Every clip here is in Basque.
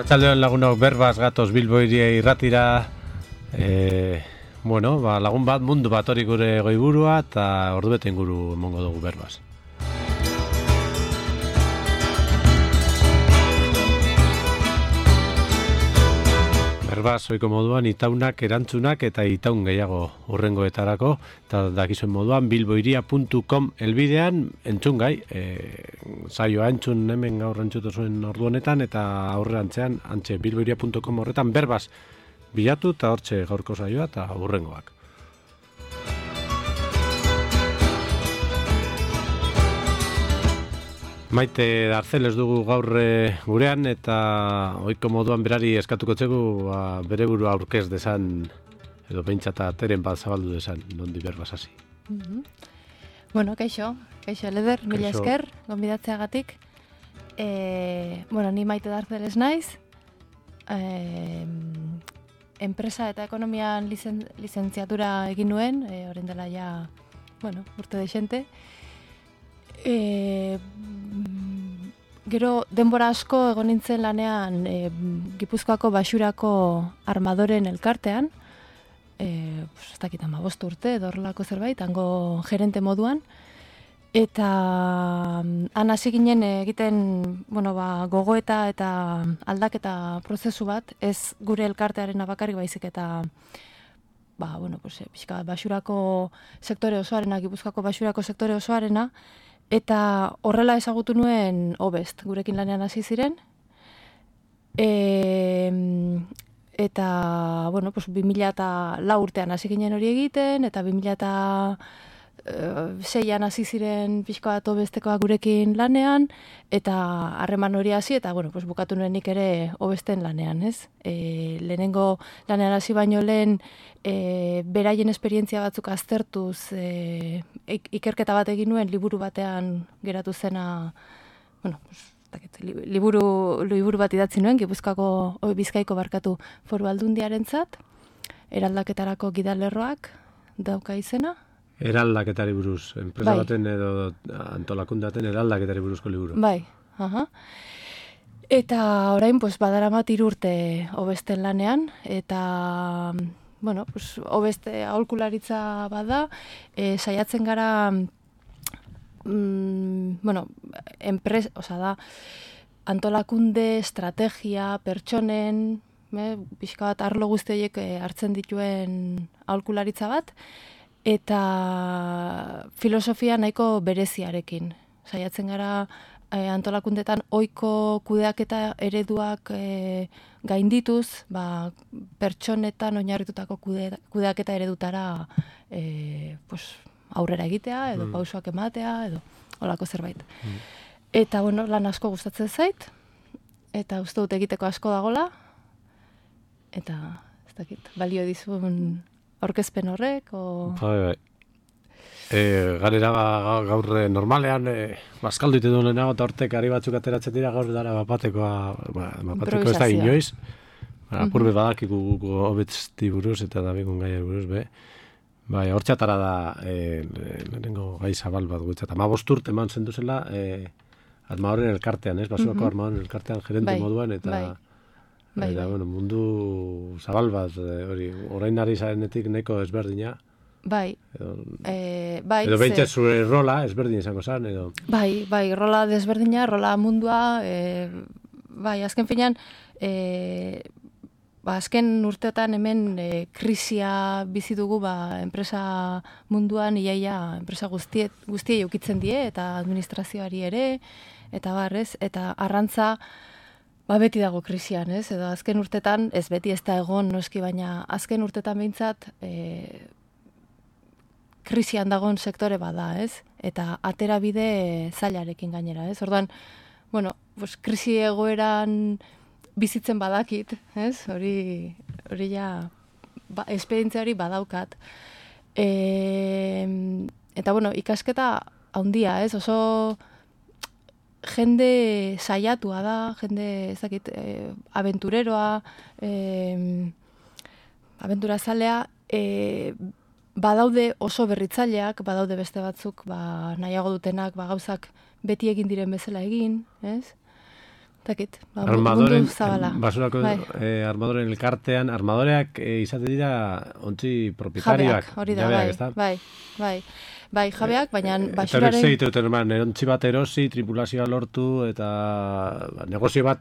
Arratsaldeon lagunok, berbaz gatoz Bilbo hiria irratira. Lagun bat mundu bat hori gure goiburua eta ordubete inguru emongo dugu berbaz. Berbaz ohiko moduan itaunak, erantzunak eta itaun gehiago hurrengoetarako, eta dakizuen moduan bilbohiria.com elbidean entzungai, saioa entzun hemen gaur entzutu zuen ordu honetan, eta aurrerantzean antxe bilbohiria.com horretan berbaz bilatu eta hortxe gaurko saioa eta hurrengoak. Maite Darceles dugu gaur gurean, eta ohiko moduan berari eskatuko txegu bere burua aurkez desan, edo behintzata teren bat zabaldu desan, nondi berbaz hasi. Bueno, kaixo Leder, mila esker, gonbidatzeagatik. Ni Maite Darceles naiz, enpresa eta ekonomian lizentziatura egin nuen, orain dela ja, urte dexente. Gero denbora asko egon nintzen lanean Gipuzkoako Baxurako armadoren elkartean, ez dakit 15 urte edo horrelako zerbait, hango gerente moduan, eta han hasi ginen egiten gogoeta eta aldaketa prozesu bat, ez gure elkartearen bakarrik baizik eta pixka Baxurako sektore osoarena, Gipuzkoako Baxurako sektore osoarena, eta horrela ezagutu nuen Obest, gurekin lanean hasi ziren. Eta 2004 urtean hasi ginen hori egiten, eta 2006an hasi ziren pixka bat Obestekoa gurekin lanean, eta harreman hori hasi, eta bukatu nuen nik ere Obesten lanean, ez? Lehenengo lanean hasi baino lehen, beraien esperientzia batzuk aztertuz, ikerketa bat egin nuen, liburu batean geratu zena, liburu bat idatzi nuen, Gipuzkoako Bizkaiko barkatu Foru Aldundiarentzat, eraldaketarako gidalerroak dauka izena. Eraldaketari buruz, enpresa baten edo antolakundaten eraldaketari buruzko liburu. Bai, Eta orain, badaramat 3 urte Obesten lanean, eta Obeste aholkularitza bada, saiatzen gara, antolakunde, estrategia, pertsonen, pixka bat arlo guzti horiek hartzen dituen aholkularitza bat, eta filosofia nahiko bereziarekin. Saiatzen gara antolakundetan ohiko kudeaketa ereduak gaindituz, pertsonetan oinarritutako kudeaketa eredutara aurrera egitea, edo pausoak ematea, edo holako zerbait. Eta lan asko gustatzen zait, eta uste dut egiteko asko dagola, eta ez dakit, balio dizun aurkezpen horrek, Bai. Garera gaur normalean bazkaldu ite duen lehenago eta hortek ari batzuk ateratzen dira, gaur dara bapateko ez da inoiz. Apurbe badakiku guko Obesti buruz eta dabigun gaiari buruz, Bai, hortxatara da lehenengo gai zabal bat guetzat. 15 urte eman zenduzela armadoren elkartean, Baxurako armadoren elkartean gerente moduan, eta mundu zabal bat, orain ari zarenetik nahiko ezberdina. Bai. Edo behintzat zure rola ezberdin izango zen, edo... Bai, rola desberdina, rola mundua, azken finean, azken urteotan hemen krisia bizi dugu enpresa munduan, iaia enpresa guztiei ukitzen die, eta administrazioari ere, eta barrez, eta arrantza beti dago krisian, ez? Edo azken urtetan, ez beti ez da egon noski, baina azken urtetan behintzat krisian dagoen sektore bada, ez? Eta atera bide zailarekin gainera, ez? Orduan, krisi egoeran bizitzen badakit, ez? Hori ja, esperientzia hori badaukat. Eta, ikasketa handia, ez? Oso jende saiatua da, jende, ez dakit, abentureroa, abenturazalea, badaude oso berritzaileak, badaude beste batzuk, nahiago dutenak, gauzak beti egin diren bezala egin, ez? Takit, armadoren, zabala. Basurako armadoren elkartean, armadoreak izaten dira ontzi propietarioak. Jabeak, hori da, bai, jabeak, baina basuraren... Eta hori zeite, erontzi bat erosi, tripulazioa lortu, eta negozio bat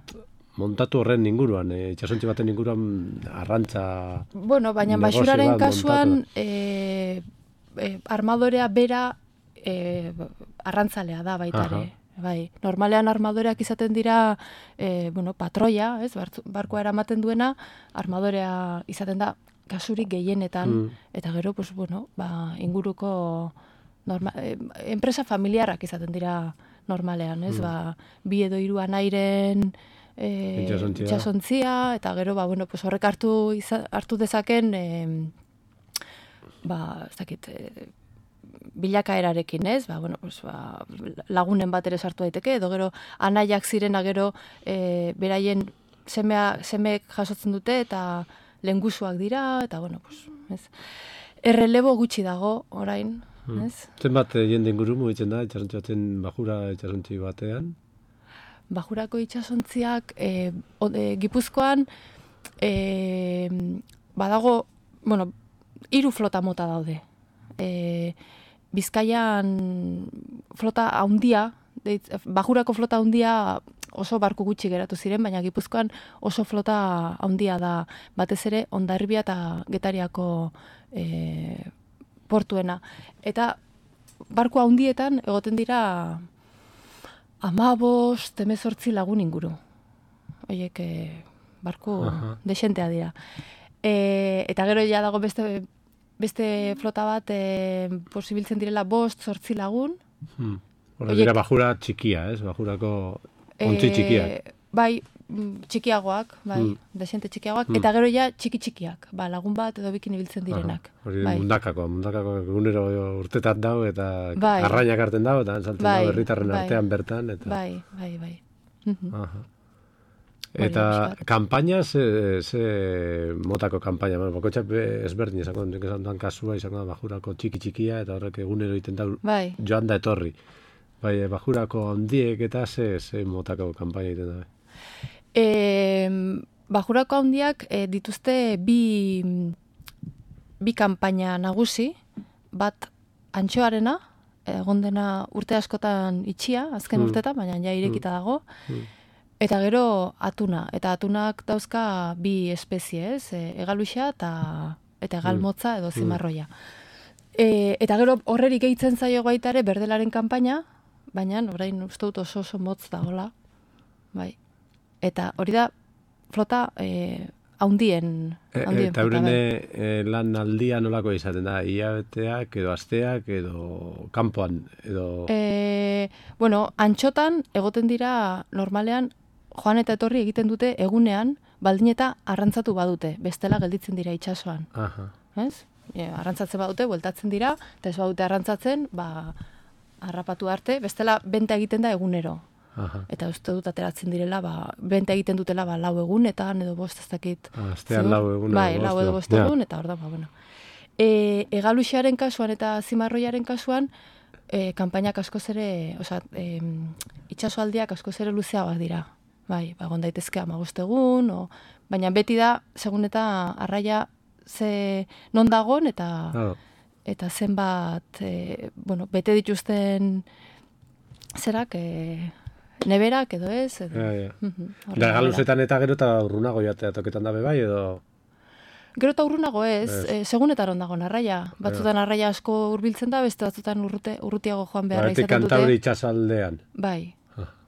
montatu horren inguruan, itxasontzi baten inguruan arrantza... Bueno, baina basuraren kasuan armadorea bera arrantzalea da baita ere. Bai, normalean armadoreak izaten dira patroia, ez? Barkoa eramaten duena, armadorea izaten da kasurik gehienetan, eta gero, inguruko enpresa familiarrak izaten dira normalean, ez? Bi edo hiru anairen itxasontzia, eta gero, horrek hartu dezaken, ez dakit, bilakaerarekin, ez? Lagunen bat ere sartu daiteke, edo gero anaiak zirena gero beraien semeek jasotzen dute eta lengusuak dira, eta ez? Errelebo gutxi dago orain, ez? Zenbat jende inguru mugitzen da, itxasontzi baten bajura itxasontzi batean? Bajurako itxasontziak Gipuzkoan badago, 3 flota mota daude. Bizkaian flota handia, bajurako flota handia oso barku gutxi geratu ziren, baina Gipuzkoan oso flota handia da, batez ere Hondarribia eta Getariako portuena. Eta barku handietan egoten dira 15-18 lagun inguru. Horiek barku desentea dira. Eta gero ja dago beste flota bat posibiltzen direla 5-8 lagun. Hora dira bajura txikia, ez? Bajurako ontzi txikiak. Bai, txikiagoak, desente txikiagoak, eta gero ja txiki-txikiak, lagun bat edo bikin ibiltzen direnak. Hori mundakako egunero urtetat dau, eta arrainak hartzen dau, eta saltzen dau herritarren artean bertan. Bai. Eta kampaina, ze motako kampaina? Bakoitzak ezberdin izango duan kasua, izango da bajurako txiki-txikia, eta horrek egunero egiten dau joan da etorri. Bai, bajurako handiek eta ze motako kampaina egiten da? Bajurako handiak dituzte bi kampaina nagusi, bat antxoarena, egon dena urte askotan itxia, azken urtetan, baina ja irekita dago, eta gero atuna, eta atunak dauzka bi espezie, ez? Egaluxa eta egalmotza edo zimarroia. Eta gero horreri gehitzen zaio baita ere berdelaren kanpaina, baina orain uste dut oso motz dagoela. Bai. Eta hori da flota haundien eta euren lan aldia nolako izaten da? Iabeteak edo asteak edo kanpoan edo... antxotan egoten dira normalean joan eta etorri egiten dute egunean, baldin eta arrantzatu badute, bestela gelditzen dira itsasoan. Ez? Arrantzatzen badute, bueltatzen dira, eta ez badute arrantzatzen, harrapatu arte, bestela benta egiten da egunero. Eta uste dut ateratzen direla, benta egiten dutela 4 egunetan, edo 5 ez dakit. Astean 4 egun. Bai, 4 edo 5 egun, eta hor da, Egaluxearen kasuan eta zimarroiaren kasuan, kanpainak askoz ere, itxasoaldiak askoz ere luzeagoak dira. Bai, egon daitezke 15 egun, baina beti da, segun eta arraia non dagon, eta zenbat, bete dituzten zerak, neberak edo ez. Da, galuzetan eta gero eta urrunago jatea toketan dabe bai, edo... Gero eta urrunago ez, segun eta dago arraia. Batzutan arraia asko hurbiltzen da, beste batzutan urrutiago joan beharra izaten dute. Kantauri itxasaldean.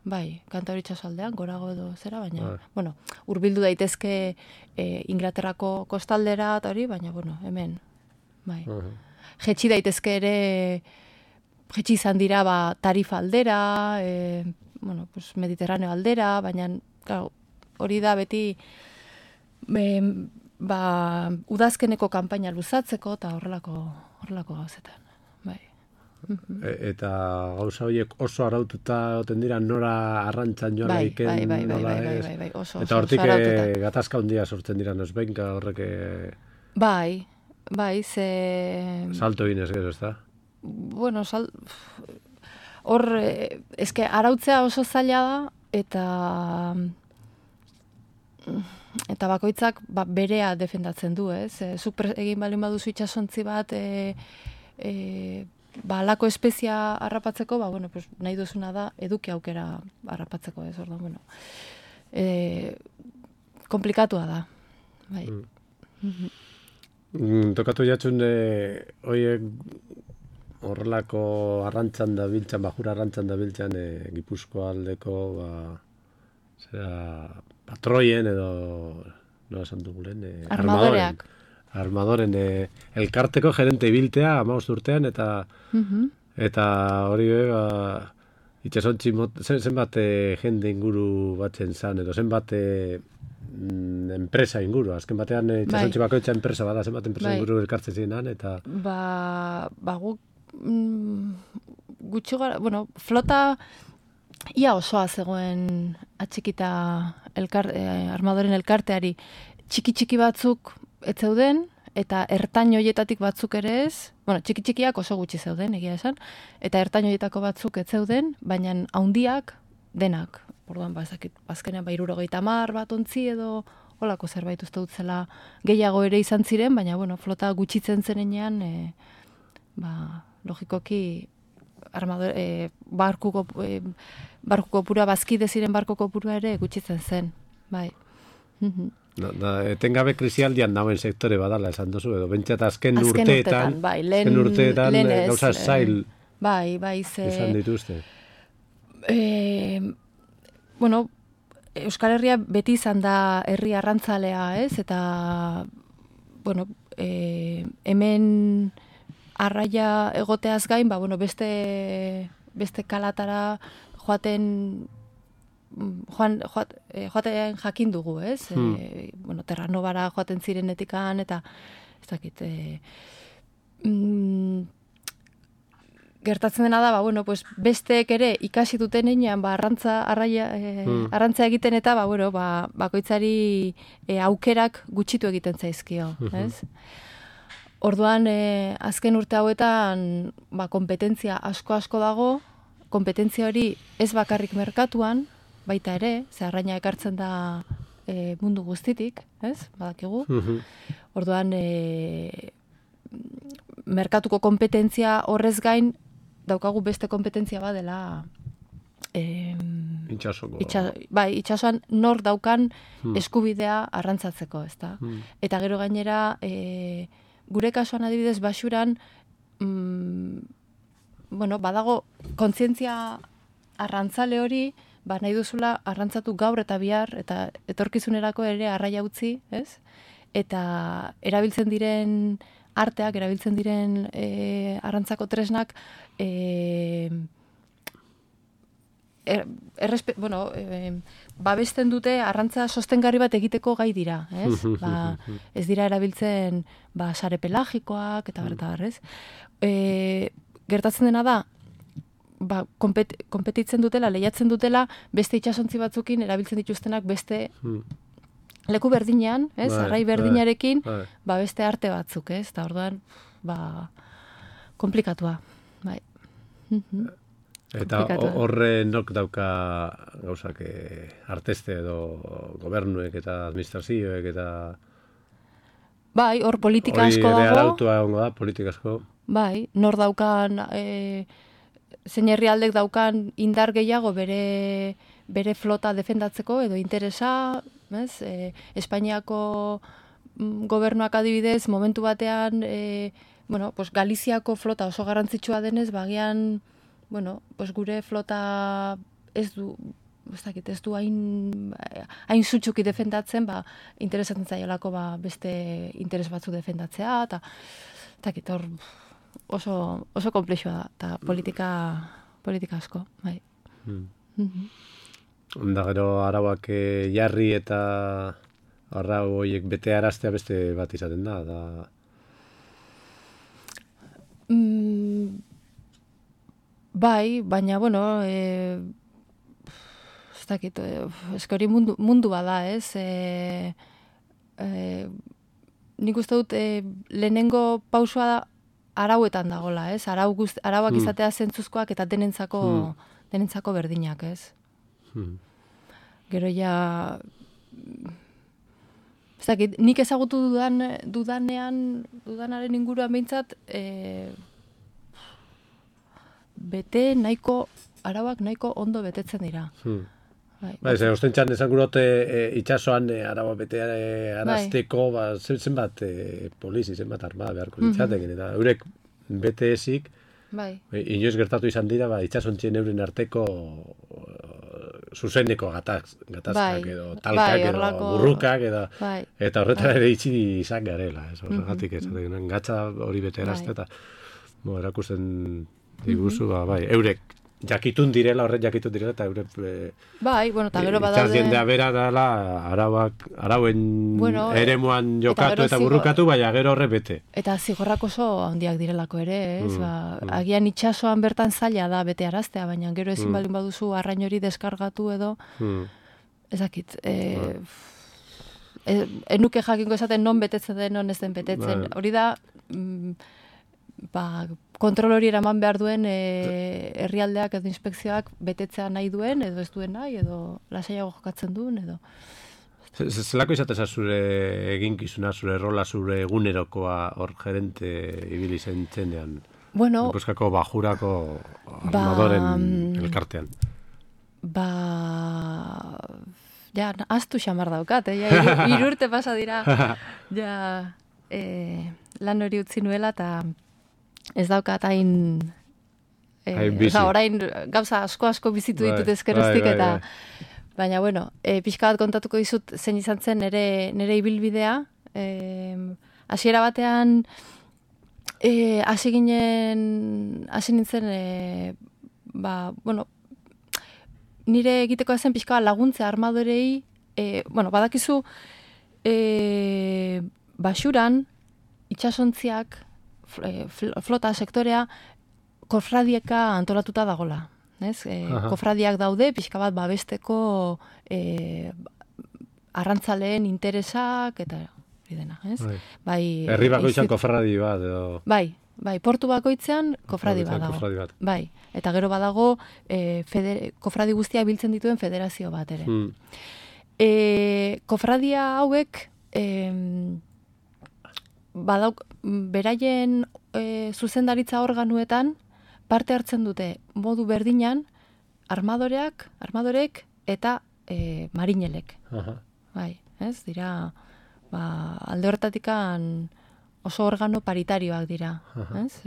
Bai, Kantauri itxasaldean, gorago edo zera, baina, hurbildu daitezke Inglaterrako kostaldera eta hori, baina, hemen, bai. Jetxi daitezke ere, jetxi izan dira, Tarifa aldera, Mediterraneo aldera, baina, hori da beti, udazkeneko kanpaina luzatzeko eta horrelako gauzetan, bai. Eta gauza horiek oso araututa oten dira nora arrantzan joan laiken, nola ez? Bai, oso eta hortik gatazka handia sortzen dira nosbenka horrek... Bai, ze... Salto ginez gero, ez da? Hor, arautzea oso zaila da, eta bakoitzak berea defendatzen du, ez? Zuk egin balin baduzu itsasontzi bat, alako espezia harrapatzeko, pues, nahi duzuna da eduki aukera harrapatzeko, ez? Orduan, komplikatua da. Bai. Tokatu jatxun, oiek horrelako arrantzan da biltzan, bajura arrantzan da biltzan, Gipuzkoa aldeko, patroien edo, no esan dugulen, armadoren elkarteko gerente ibiltea, 15 urtean, eta hori itxasontzi zenbat jende inguru batzen zan, edo zenbat enpresa inguru, azken batean itxasontzi bakoitza enpresa bada, zenbat enpresa inguru elkartzen ziren, eta... Guk gutxi gara, flota ia osoa zegoen atxikita armadoren elkarteari, txiki batzuk ez zeuden, eta ertain horietatik batzuk ere ez, txiki-txikiak oso gutxi zeuden, egia esan, eta ertain horietako batzuk ez zeuden, baina haundiak denak. Orduan, azkenean 70 bat ontzi edo holako zerbait uste dut zela gehiago ere izan ziren, baina flota gutxitzen zenean, logikoki barkuko pura, bazkide ziren barkuko pura ere gutxitzen zen, bai. Etengabe krisialdian nauen sektore badala esan duzu, edo bentsat azken urteetan gauza zail izan dituzte. Euskal Herria beti izan da herri arrantzalea, ez? Eta, hemen arraia egoteaz gain, beste kalatara joaten jakin dugu, ez? Terranobara joaten zirenetikan, eta ez dakit, gertatzen dena da, besteek ere ikasi duten enean, arrantza egiten eta, bakoitzari aukerak gutxitu egiten zaizkio, ez? Orduan, azken urte hauetan, kompetentzia asko dago, kompetentzia hori ez bakarrik merkatuan, baita ere, ze arraina ekartzen da mundu guztitik, ez? Badakigu. Orduan, merkatuko kompetentzia horrez gain, daukagu beste kompetentzia badela itxasoan nor daukan eskubidea arrantzatzeko, ezta? Eta gero gainera, gure kasuan adibidez baxuran, badago kontzientzia arrantzale hori, nahi duzula arrantzatu gaur eta bihar, eta etorkizunerako ere arraia utzi, ez? Eta erabiltzen diren arteak, erabiltzen diren arrantzako tresnak, babesten dute arrantza sostengarri bat egiteko gai dira, ez? Ez dira erabiltzen sare pelagikoak eta bertabar, ez? Gertatzen dena da, konpetitzen dutela, lehiatzen dutela, beste itsasontzi batzukin erabiltzen dituztenak beste leku berdinean, ez? Arrai berdinarekin, beste arte batzuk, ez? Eta orduan, komplikatua, bai. Eta horre nok dauka gauzak arteste edo gobernuek eta administrazioek eta... Bai, hor politika asko dago. Hori ere arautua egongo da, politika asko. Bai, nor daukan, zein herrialdek daukan indar gehiago bere flota defendatzeko edo interesa, ez? Espainiako gobernuak adibidez, momentu batean, Galiziako flota oso garrantzitsua denez, bagian, gure flota ez du hain zutxuki defendatzen, interesatzen zaiolako beste interes batzu defendatzea, eta hor oso komplexua da, eta politika asko, bai. Onda gero arauak jarri eta arrau horiek bete araztea beste bat izaten da. Bai, baina, ez dakit, eskori mundu bada, ez? Nik uste dut lehenengo pausua arauetan dagola, ez? Arauak izatea zentzuzkoak eta denentzako berdinak, ez? Gero ja... nik ezagutu dudanaren inguruan behintzat, arauak nahiko ondo betetzen dira. Bai, ostentxan esan gurote itxasoan araba bete arazteko, zenbat polizi, zenbat armada beharko ditzatekin, eta eurek bete ezik, inoiz gertatu izan dira, itxasontzien euren arteko zuzeneko gatazkak edo talkak edo burrukak eta horretara ere itxi izan garela, horregatik ezaten gatza hori bete erazte eta erakusten diguzu, eurek jakitun direla eta eurek eta gero badaude itxas jendea bera dela arauen eremuan jokatu eta burrukatu, baina gero horre bete. Eta zigorrak oso handiak direlako ere, ez? Agian itxasoan bertan zaila da bete araztea, baina gero ezin baldin baduzu arrain hori deskargatu edo, ezakit, enuke jakinko esaten non betetzen den, non ez den betetzen. Hori da, kontrol hori eraman behar duen herrialdeak edo inspekzioak betetzea nahi duen, edo ez duen nahi, edo lasaiago jokatzen duen, edo... Zelako izateza zure eginkizuna, zure rola, zure egunerokoa hor gerente ibili zen txendean? Bueno... Gipuzkoako bajurako armadoren elkartean. Ja, astu xamar daukat, ja, irurte pasa dira, ja, lan hori utzi nuela, eta ez daukat hain orain gauza asko bizitu ditut ezkeroztik eta baina bueno, pixka bat kontatuko dizut zein izan zen nire ibilbidea. Hasiera batean hasi nintzen nire egiteko zen pixka laguntza armadorei, badakizu Baxuran itsasontziak flota sektorea kofradieka antolatuta dagola. Kofradiak daude, pixka bat babesteko arrantzaleen interesak, eta hori dena. Herri bakoitzean kofradi bat, edo... Bai, portu bakoitzean kofradi bat dago. Bai, eta gero badago kofradi guztia biltzen dituen federazio bat ere. Kofradia hauek... beraien zuzendaritza organuetan parte hartzen dute modu berdinan armadorek eta marinelek. Bai, ez? Dira, alde horretatikan oso organo paritarioak dira. Ez?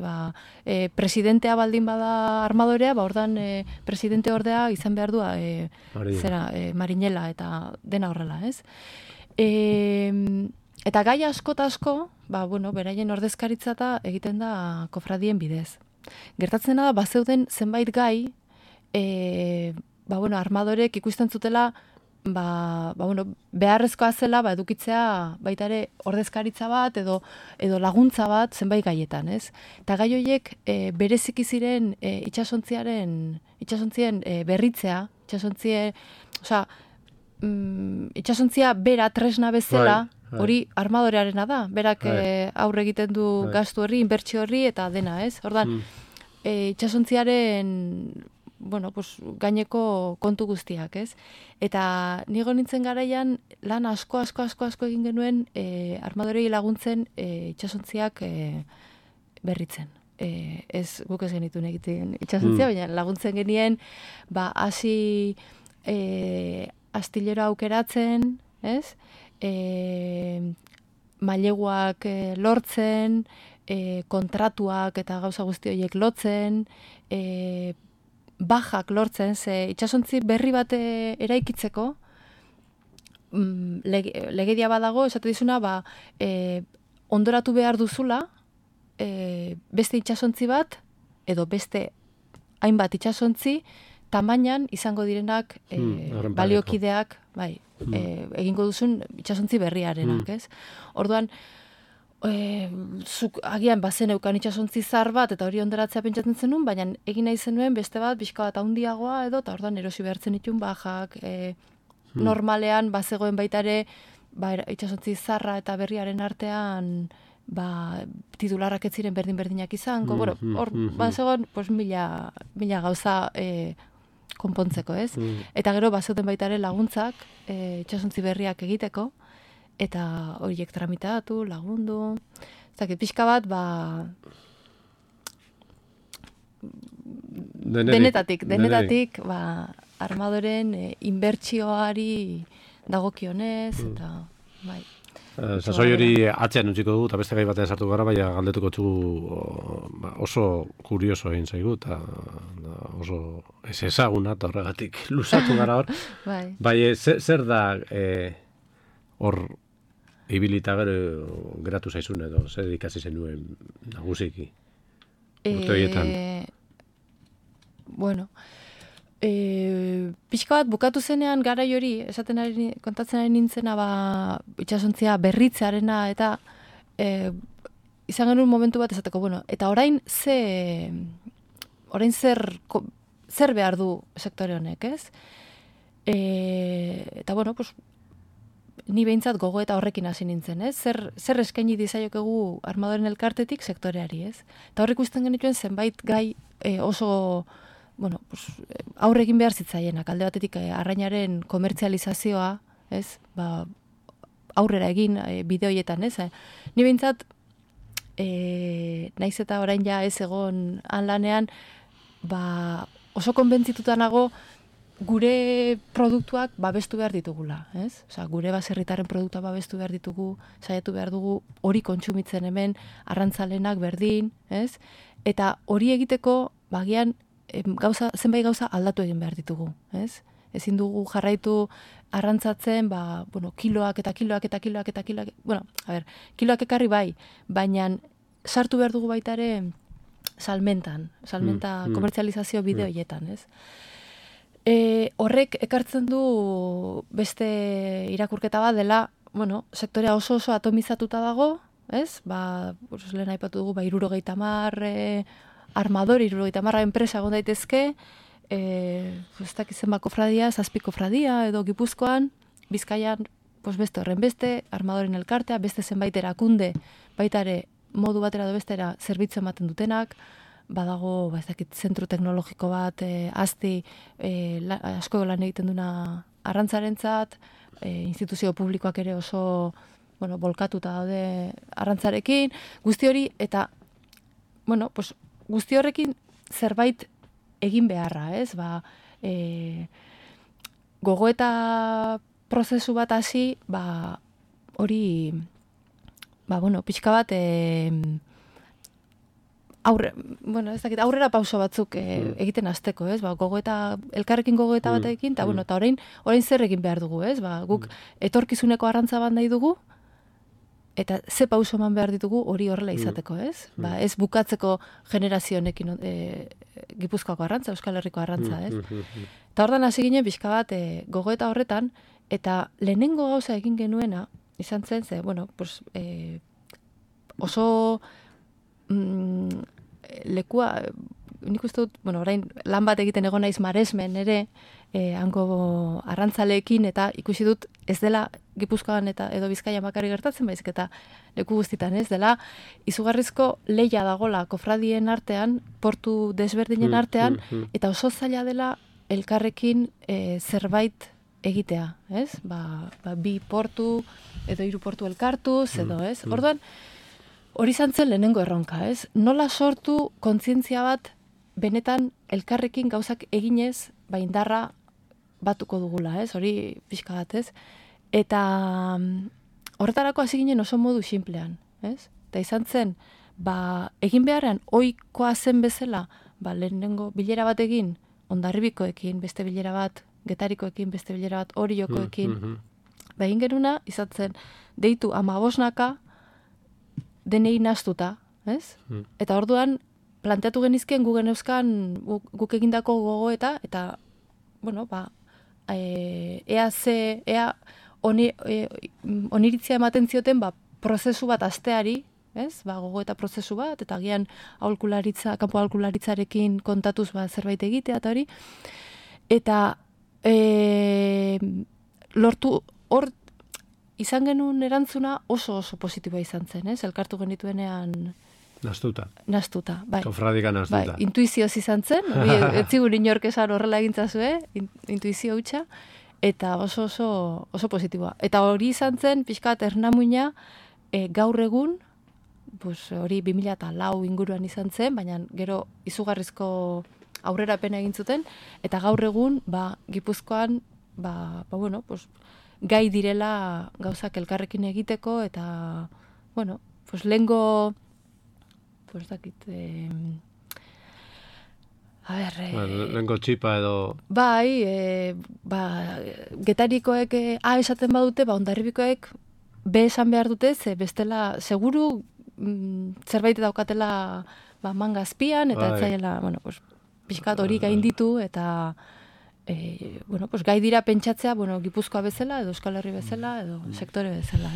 Presidentea baldin bada armadorea, ordan presidente ordea izan behar du marinela eta dena horrela, ez? Eta gai asko, beraien ordezkaritza egiten da kofradien bidez. Gertatzen da, bazeuden zenbait gai, armadorek ikusten zutela, beharrezkoa zela, edukitzea baita ere ordezkaritza bat, edo laguntza bat zenbait gaietan, ez? Eta gai horiek bereziki ziren itxasontzien berritzea, itxasontzia bera tresna bezala, hori armadorearena da, berak aurre egiten du gastu horri, inbertsio horri, eta dena, ez? Ordan, itxasontziaren gaineko kontu guztiak, ez? Eta nigo nintzen garaian lan asko egin genuen armadorei laguntzen itxasontziak berritzen. Ez guk ez genituen egiten itxasontzia, baina laguntzen genien hasi astillero aukeratzen, ez? Maileguak lortzen, kontratuak eta gauza guzti horiek lotzen, bajak lortzen, ze itxasontzi berri bat eraikitzeko, legedia badago, esate dizuna, ondoratu behar duzula, beste itxasontzi bat, edo beste hainbat itxasontzi, tamainan izango direnak baliokideak, egingo duzun itxasontzi berriarenak, ez? Orduan, zuk agian bazen eukan itxasontzi zar bat, eta hori onderatzea pentsatzen zenun, baina egin nahi zenuen beste bat, pixka bat handiagoa edo, eta orduan erosi behartzen ditun bajak, normalean bazegoen baita ere, itxasontzi zarra eta berriaren artean, titularrak ez ziren berdin-berdinak izango, hor, bazegoen, mila gauza konpontzeko, ez? Eta gero bazeuten baita ere laguntzak, itsasontzi berriak egiteko, eta horiek tramitatu, lagundu. Ezakit, pixka bat, denetatik, armadoren inbertsioari dagokionez, eta bai. Sasoi hori atzean utziko dugu, eta beste gai batean sartu gara, baina galdetuko txugu oso kurioso egin zaigu, eta oso ez ezaguna, eta horregatik luzatu gara hor. Bai, zer da hor ibilita gero geratu zaizun edo, zer ikasi zenuen nagusiki? Urte horietan. Bueno, pixka bat bukatu zenean garai hori, kontatzen ari nintzena itxasontzia berritzearena, eta izan genuen momentu bat esateko, bueno, eta orain zer behar du sektore honek, ez? Eta bueno, pues, ni behintzat gogo eta horrekin hasi nintzen, ez? Zer eskaini dizaiokegu armadoren elkartetik sektoreari, ez? Eta horrek ikusten genituen zenbait gai oso, bueno, pues, aurre egin behar zitzaienak, alde batetik arrainaren komertzializazioa, ez? Aurrera egin bideoietan, ez? Ni behintzat, naiz eta orain ja ez egon lanean, oso konbentzituta nago gure produktuak babestu behar ditugula, ez? Osea, gure baserritarren produktua babestu behar ditugu, saiatu behar dugu hori kontsumitzen hemen, arrantzalenak berdin, ez? Eta hori egiteko, bagian, zenbait gauza aldatu egin behar ditugu, ez? Ezin dugu jarraitu arrantzatzen, kiloak, bueno, kiloak ekarri bai, baina sartu behar dugu baita ere salmenta komertzializazio bideoietan, ez? Horrek ekartzen du beste irakurketa bat dela, bueno, sektorea oso atomizatuta dago, ez? Lehen aipatu dugu, 70 armador, 70 enpresa egon daitezke, ez dakizen kofradia, 7 kofradia, edo Gipuzkoan, Bizkaian, beste horren beste, armadoren elkartea, beste zenbait erakunde, baita ere modu batera edo bestera zerbitzu ematen dutenak, badago, zentru teknologiko bat, azti, asko lan egiten duna arrantzarentzat, instituzio publikoak ere oso, bueno, bolkatuta daude arrantzarekin, guzti hori, eta, bueno, pues, guzti horrekin zerbait egin beharra, ez? Gogoeta prozesu bat hasi, hori, bueno, pixka bat, aurrera pauso batzuk egiten hasteko, ez? Elkarrekin gogoeta batekin, eta bueno, eta orain zer egin behar dugu, ez? Guk etorkizuneko arrantza bat nahi dugu, eta ze pauso eman behar ditugu hori horrela izateko, ez? Ez bukatzeko generazio honekin Gipuzkoako arrantza, Euskal Herriko arrantza, ez? Eta ordan hasi ginen pixka bat gogoeta horretan, eta lehenengo gauza egin genuena, izan zen, bueno, pues, oso lekua, nik uste dut, bueno, orain lan bat egiten egon naiz Maresmen ere, hango arrantzaleekin, eta ikusi dut ez dela Gipuzkoan eta edo Bizkaian bakarrik gertatzen, baizik eta leku guztitan ez dela, izugarrizko lehia dagola kofradien artean, portu desberdinen artean, eta oso zaila dela elkarrekin zerbait egitea, ez? 2 portu edo 3 portu elkartuz, edo, ez? Orduan, hori izan zen lehenengo erronka, ez? Nola sortu kontzientzia bat benetan elkarrekin gauzak eginez, indarra batuko dugula, ez? Hori pixka bat, ez? Eta horretarako hasi ginen oso modu sinplean, ez? Eta izan zen, egin beharrean ohikoa zen bezala, lehenengo bilera bat egin, Hondarribikoekin, beste bilera bat, Getarikoekin, beste bilera bat, Oriokoekin. Egin genuna, izan zen, deitu 15 denei naztuta, ez? Eta orduan, planteatu genizkien gu geneuzkan guk egindako gogoeta, eta, bueno, ea oniritzia ematen zioten, prozesu bat asteari, ez? Gogoeta prozesu bat, eta agian kanpo aholkularitzarekin kontatuz zerbait egitea, eta hori. Eta lortu hor, izan genuen erantzuna oso positiboa izan zen, ez? Elkartu genituenean Nastuta, bai. Kofradika nastuta. Bai, intuizioz izan zen, ez zigur inork esan horrela egintzazue, intuizio hutsa, eta oso positiboa. Eta hori izan zen, pixkat ernamuina, gaur egun, hori 2004 inguruan izan zen, baina gero izugarrizko aurrerapena egin zuten, eta gaur egun, Gipuzkoan, gai direla gauzak elkarrekin egiteko, eta, lehengo, lehenko txipa edo... Bai, getarikoek esaten badute, Hondarribikoek B esan behar dute, ze bestela, seguru zerbait daukatela manga azpian, eta etzaiela, pixkat hori gainditu, eta gai dira pentsatzea, Gipuzkoa bezala, edo Euskal Herri bezala, edo sektore bezala,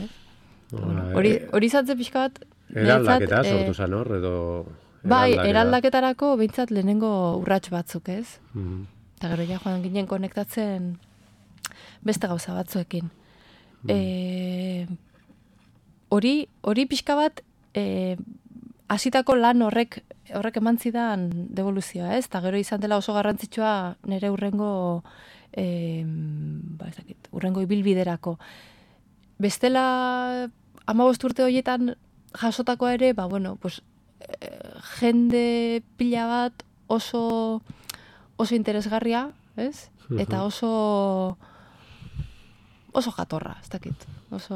hori zatzen pixkat... Eraldaketa sortu zan hor, edo... Bai, eraldaketarako behintzat lehenengo urrats batzuk, ez? Eta gero ja joan ginen konektatzen beste gauza batzuekin. Hori pixka bat hasitako lan horrek eman zidan devoluzioa, ez? Eta gero izan dela oso garrantzitsua nire urrengo ibilbiderako. Bestela 15 urte horietan jasotakoa ere, jende pila bat oso interesgarria, ez? Eta oso jatorra, ez dakit. Ez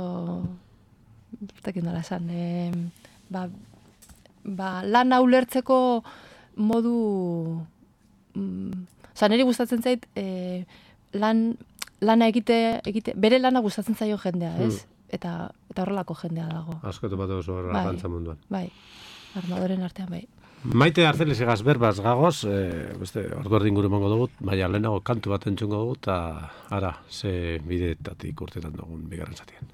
dakit nola esan. Lana ulertzeko modu... niri gustatzen zait, lana egite, bere lana gustatzen zaio jendea, ez? Eta horrelako jendea dago. Askotu bat oso arrantza munduan. Bai, armadoren artean, bai. Maite Arzeles egaz berbaz gagoz, ordu erdin gure mongo dugut, baina lehenago kantu bat entzungo dugut, eta ara, ze bideetatik urtetan dugun bigarren zatien.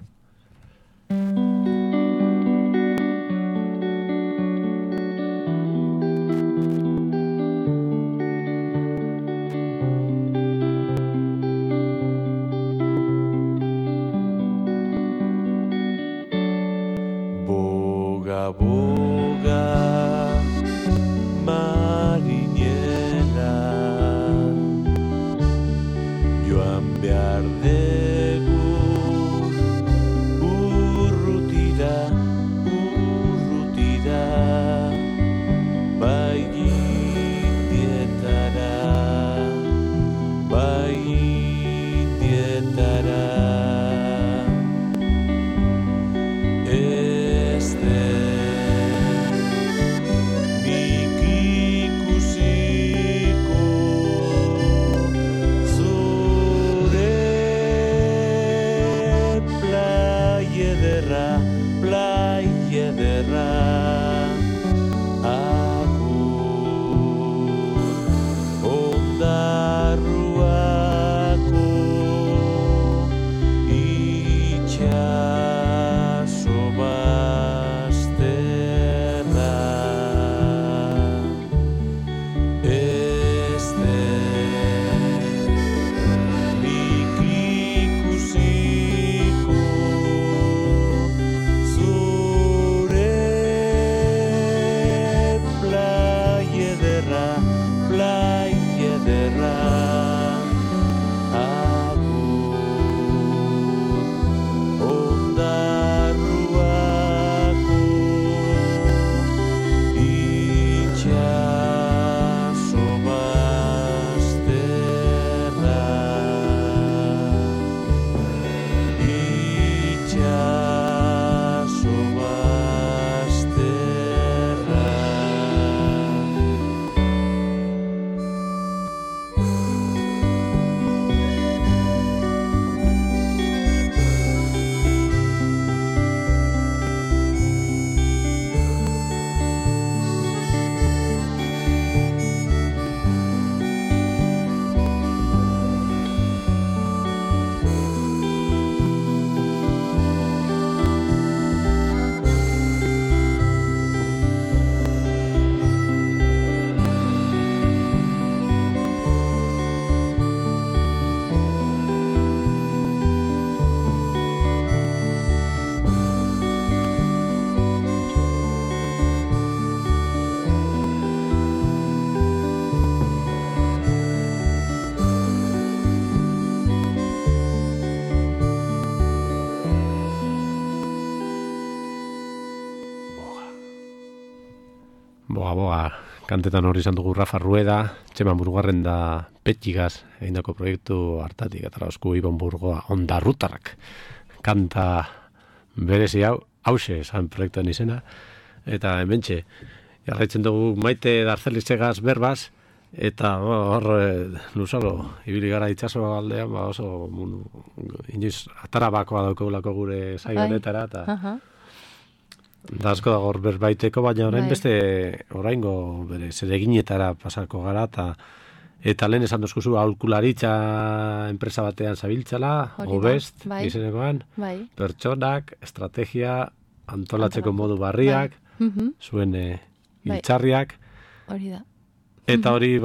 Boa, kantetan hori izan dugu Rafa Rueda, Txema Murugarren da Petxigaz, egindako proiektu hartatik, eta osku Ibon Burgoa, Ondarrutarrak, kanta berezi hause esan proiektuen izena, eta hementxe, jarraitzen dugu Maite Darzelizegaz berbaz, eta hor luzaro, ibili gara itxaso aldean, oso inoiz atara bakoa daukagulako gure saio honetara, eta da asko dago berbaiteko, baina orain beste oraingo bere zereginetara pasako gara, eta lehen esan dozkuzu aholkularitza enpresa batean zabiltzala, Obest, izenekoan, pertsonak, estrategia, antolatzeko modu barriak, zuen iltzarriak, eta hori,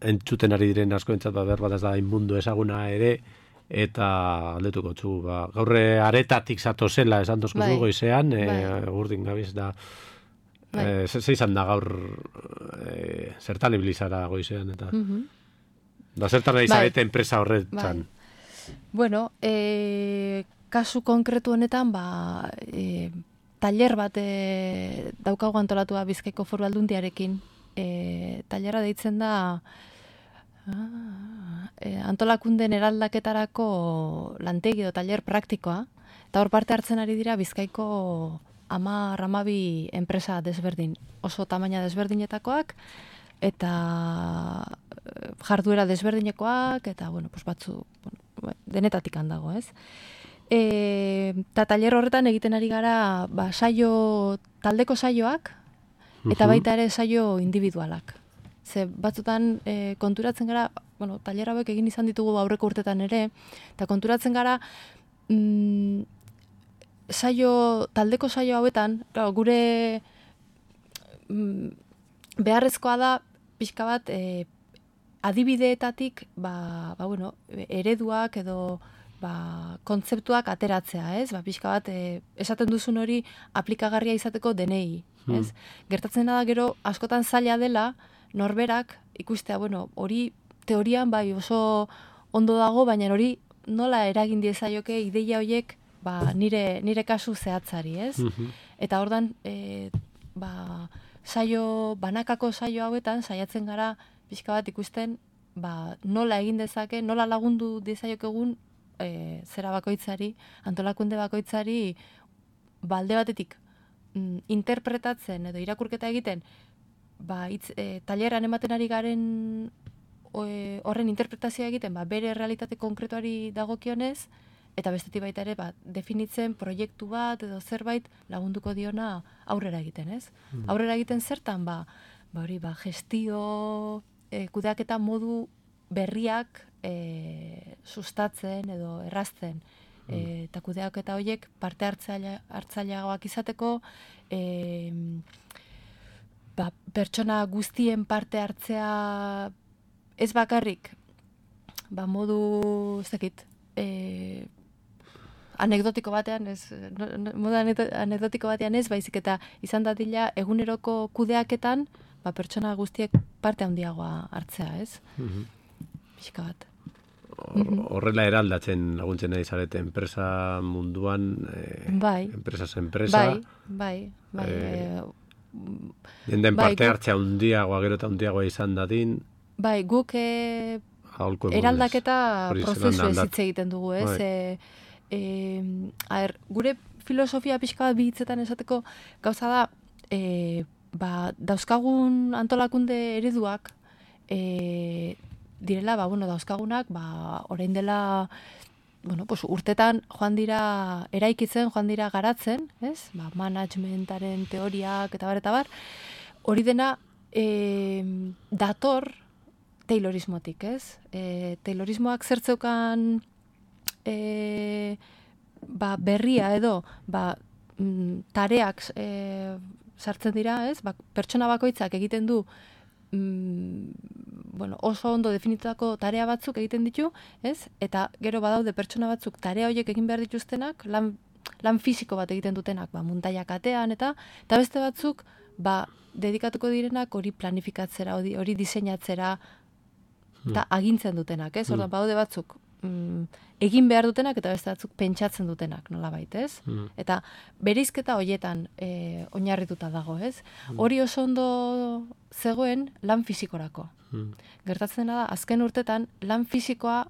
entzuten ari diren asko entzat, berbat ez da inmundu ezaguna ere, eta aldetuko txu, gaurre aretatik zato zela esan dozkuzu goizean, urdin gabiz da, zeizan da gaur zertan ibilizara goizean, eta da zertan nahi zarete enpresa horretan. Bueno, kasu konkretu honetan, taller bat daukagu antolatua Bizkaiko Foru Aldundiarekin. Tallerra deitzen da antolakunden eraldaketarako lantegi edo taller praktikoa, eta hor parte hartzen ari dira Bizkaiko 10-12 enpresa desberdin, oso tamaina desberdinetakoak, eta jarduera desberdinekoak, eta batzu denetatik handago, ez? Eta taller horretan egiten ari gara taldeko saioak, eta baita ere saio individualak. Ze batzutan konturatzen gara, taller hauek egin izan ditugu aurreko urtetan ere, eta konturatzen gara taldeko saio hauetan, gure beharrezkoa da pixka bat adibideetatik ereduak edo kontzeptuak ateratzea, ez? Pixka bat esaten duzun hori aplikagarria izateko denei, ez? Gertatzen da gero askotan zaila dela norberak ikustea, hori teorian oso ondo dago, baina hori nola eragin diezaioke ideia horiek nire kasu zehatzari, ez? Eta ordan banakako saio hauetan saiatzen gara pixka bat ikusten nola egin dezake, nola lagundu diezaiokegun zera bakoitzari, antolakunde bakoitzari balde batetik interpretatzen edo irakurketa egiten taileran ematen ari garen horren interpretazioa egiten bere realitate konkretuari dagokionez, eta bestetik baita ere definitzen proiektu bat edo zerbait lagunduko diona aurrera egiten, ez? Aurrera egiten zertan, hori gestio, kudeaketa modu berriak sustatzen edo errazten, eta kudeaketa horiek parte hartzaileagoak izateko, pertsona guztien parte hartzea ez bakarrik, modu, ez dakit, anekdotiko batean ez, baizik eta izan dadila eguneroko kudeaketan, pertsona guztiek parte handiagoa hartzea, ez? Pixka bat. Horrela eraldatzen laguntzen nahi zarete enpresa munduan, enpresas enpresa. Bai. Den parte hartzea handiagoa, gero eta handiagoa izan dadin. Bai, guk eraldaketa prozesu ez hitz egiten dugu, ez? Gure filosofia pixka bat bihitzetan esateko gauza da, dauzkagun antolakunde ereduak direla, dauzkagunak, orain dela, urtetan joan dira eraikitzen, joan dira garatzen, ez? Managementaren teoriak eta bar, hori dena dator Taylorismotik, ez? Taylorismoak zertzeukan berria edo tareak sartzen dira, ez? Pertsona bakoitzak egiten du oso ondo definitutako tarea batzuk egiten ditu, ez? Eta gero badaude pertsona batzuk tarea horiek egin behar dituztenak, lan fisiko bat egiten dutenak, muntaiak atean, eta beste batzuk, dedikatuko direnak hori planifikatzera, hori diseinatzera, eta agintzen dutenak, ez? Ordan badaude batzuk egin behar dutenak eta beste batzuk pentsatzen dutenak, nolabait, ez? Eta bereizketa hoietan oinarrituta dago, ez? Hori oso ondo zegoen lan fisikorako. Gertatzen da, azken urtetan, lan fisikoa,